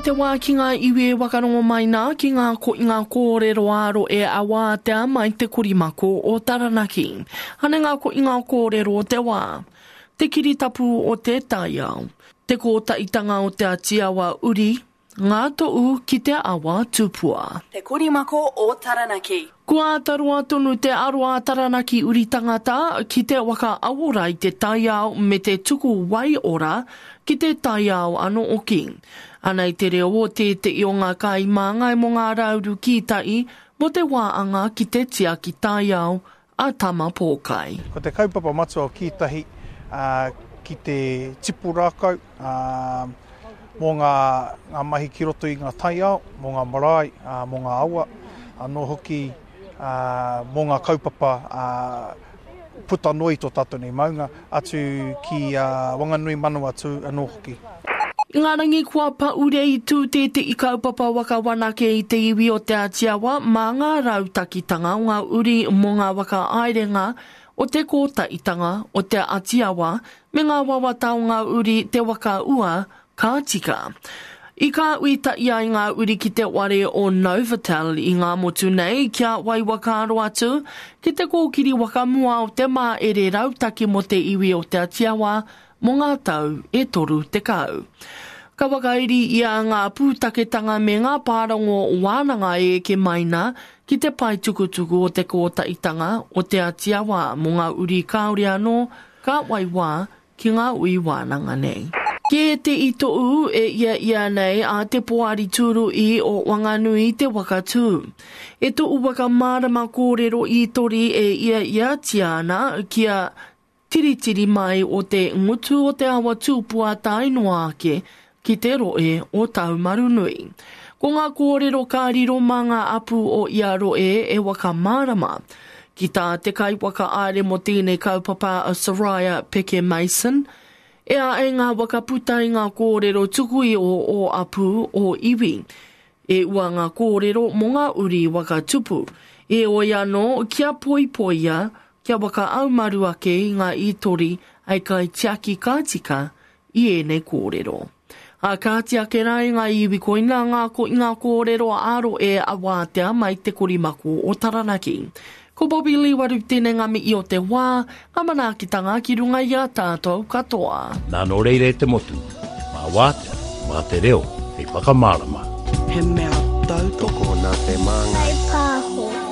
te wā ki ngā iwi e wakarongo mai nā ki ngā koinga kōrero ā-rohe a Wātea mai te korimako o Taranaki. Anei ngā koinga kōrero o te wā. Te kiritapu o te taiao. Te kōtaitanga o Te Atiawa uri, ngā toʻu ki te awa tupua. Te korimako o Taranaki. Kua āta roa tonu te aro a Taranaki uri tangata ki te waka awora i te taiao me te tuku wai ora ki te taiao anō oki. Anei te reo o tēteʻi o ngā kaimāngai mō ngā rauru kītaʻi mō te wā anga ki te tiaki taiao a Tama Pōkai. Ko te kaupapa matua o Kītahi ki te tipu rākau mō ngā mahi ki roto i ngā taiao, mō ngā marae, mō ngā awa, anō hoki mō ngā kaupapa puta noa i tō tātou nei maunga, atu ki Wanganui Manawatū anō hoki. I ngā rangi kua paure i tū tēteʻi kaupapa waka wanake i te iwi o Te Ātiawa mā ngā rautakitanga o ngā uri mō ngā waka aerenga o te kōtaitanga o Te Atiawa me ngā wawata o ngā uri te waka ua ka tika. I kāhui taʻi ai ngā uri ki te ware o Novotel i Ngāmotu nei kia wai whakaaro atu ki te kōkiri waka mua o te māere rautaki mō te iwi o Te Atiawa mō ngā tau e 30. Ka whakairi ia ngā pūtaketanga me ngā pārongo wānanga e eke mai nā ki te pae tukutuku o te Kōtaitanga o Te Atiawa mō ngā uri kāore anō ka whai wā ki ngā ui wānanga nei. Kē te itoʻu e ia ia nei a te Poari Tūruʻi o Wanganui te waka tū. E toʻu waka mārama kōrero ītori e ia iatia ana kia Tiritiri mai o te ngutu o te awa tupua tae noa ake ki te rohe o Taumarunui. Ko ngā kōrero ka riro mā ngā apu o ia rohe e whakamārama. Ki tā te kaiwhakahaere mō tēnei kaupapa a Soraya Peke Mason, e āe ngā whakaputa i ngā kōrero tuku iho o apu, o iwi. E ua ngā kōrero mō ngā uri waka tupu. Heoi anō, kia poipoia, kia whakaaumaru ake i ngā ītori hei kaitiaki ka tika i ēnei kōrero. Ā, kāti ake rā i ngā iwi koinā ngā koinga kōrero ā-rohe a wātea mai te korimako o Taranaki. Ko Bobby Lee Waru tēnei ngā mihi o te wā, ngā manaakitanga ki runga i a tātou katoa. Nā nō reira e te motu, mā wātea, mā te reo hei whakamārama. He mea tautoko nā te Māngai. Pāho.